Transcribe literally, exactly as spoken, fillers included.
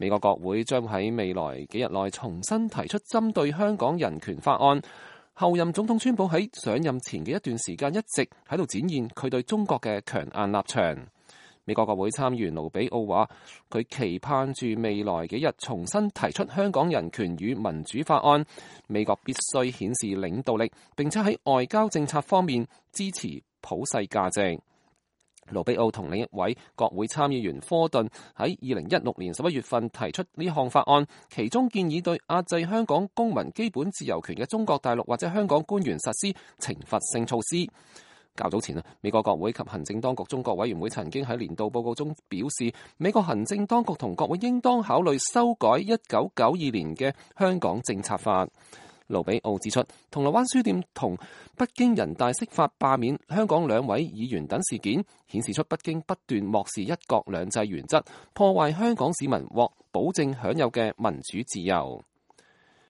美國國會將喺未來幾日內重新提出針對香港人權法案。後任總統川普喺上任前嘅一段時間一直喺度展現佢對中國嘅強硬立場。美國國會參議員盧比奧話，佢期盼住未來幾日重新提出香港人權與民主法案。美國必須顯示領導力，並且喺外交政策方面支持普世價值。盧比奧同另一位國會參議員科頓喺二零一六年十一月份提出呢項法案，其中建議對壓制香港公民基本自由權嘅中國大陸或者香港官員實施懲罰性措施。較早前啊，美國國會及行政當局中國委員會曾經喺年度報告中表示，美國行政當局同國會應當考慮修改一九九二年嘅香港政策法。盧比奧指出，銅鑼灣書店同北京人大釋法罷免香港兩位議員等事件，顯示出北京不斷漠視一國兩制原則，破壞香港市民獲保證享有嘅民主自由。